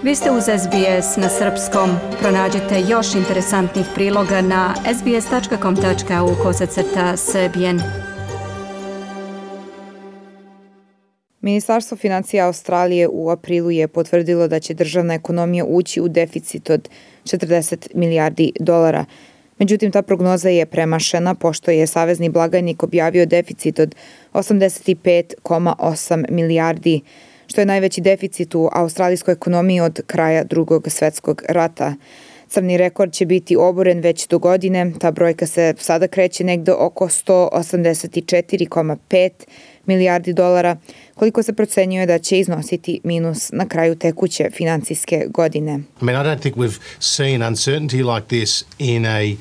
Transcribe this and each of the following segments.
Vi ste uz SBS na srpskom. Pronađite još interesantnih priloga na sbs.com.au/srbijen. Ministarstvo financija Australije u aprilu je potvrdilo da će državna ekonomija ući u deficit od 40 milijardi dolara. Međutim, ta prognoza je premašena pošto je savezni blagajnik objavio deficit od 85,8 milijardi, što je najveći deficit u australijskoj ekonomiji od kraja Drugog svjetskog rata. Crni rekord će biti oboren već do godine, ta brojka se sada kreće negde oko 184,5 milijardi dolara, koliko se procenjuje da će iznositi minus na kraju tekuće financijske godine. I don't think we've seen uncertainty like this in a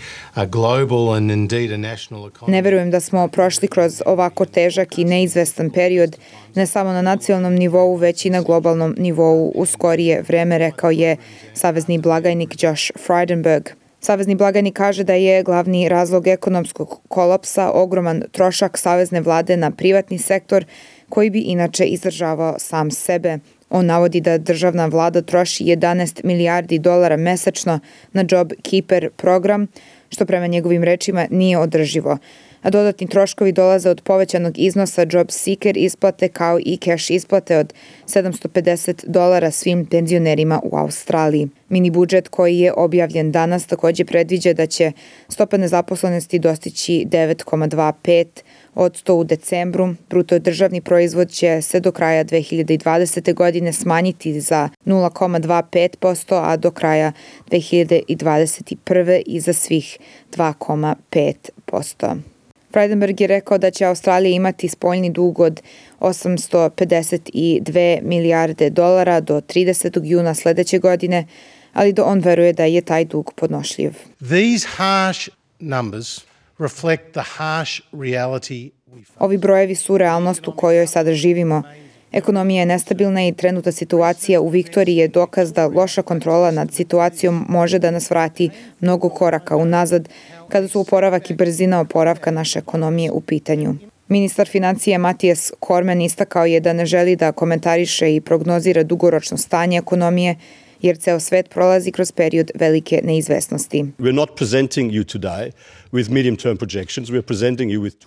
global and indeed a national economy. Ne verujem da smo prošli kroz ovako težak i neizvestan period, ne samo na nacionalnom nivou, već i na globalnom nivou u skorije vreme, rekao je savezni blagajnik Josh Frydenberg. Savezni blagajnik kaže da je glavni razlog ekonomskog kolapsa ogroman trošak savezne vlade na privatni sektor koji bi inače izdržavao sam sebe. On navodi da državna vlada troši 11 milijardi dolara mesečno na Job Keeper program, što prema njegovim rečima nije održivo. A dodatni troškovi dolaze od povećanog iznosa Job Seeker isplate kao i cash isplate od $750 svim penzionerima u Australiji. Mini budžet koji je objavljen danas također predviđa da će stopa nezaposlenosti dostići 9,25% u decembru. Bruto državni proizvod će se do kraja 2020. godine smanjiti za 0,25%, a do kraja 2021. i za svih 2,5%. Frydenberg je rekao da će Australija imati spoljni dug od 852 milijarde dolara do 30. juna sljedeće godine, ali da on veruje da je taj dug podnošljiv. These harsh numbers reflect the harsh reality. Ovi brojevi su realnost u kojoj sada živimo. Ekonomija je nestabilna i trenutna situacija u Viktoriji je dokaz da loša kontrola nad situacijom može da nas vrati mnogo koraka unazad kada su oporavak i brzina oporavka naše ekonomije u pitanju. Ministar financija Mathias Cormann istakao je da ne želi da komentariše i prognozira dugoročno stanje ekonomije, jer ceo svet prolazi kroz period velike neizvesnosti.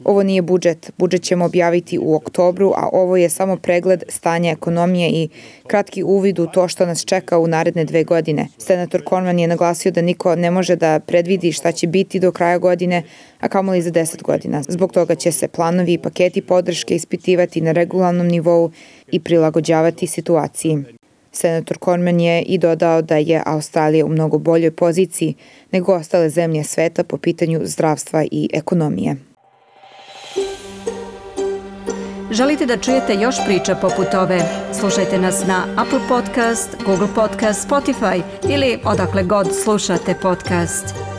Ovo nije budžet. Budžet ćemo objaviti u oktobru, a ovo je samo pregled stanja ekonomije i kratki uvid u to što nas čeka u naredne 2 godine. Senator Cormann je naglasio da niko ne može da predvidi šta će biti do kraja godine, a kamoli za 10 godina. Zbog toga će se planovi i paketi podrške ispitivati na regularnom nivou i prilagođavati situaciji. Senator Cormann je i dodao da je Australija u mnogo boljoj poziciji nego ostale zemlje sveta po pitanju zdravstva i ekonomije. Želite da čujete još priča poput ove? Slušajte nas na Apple Podcast, Google Podcast, Spotify ili odakle god slušate podcast.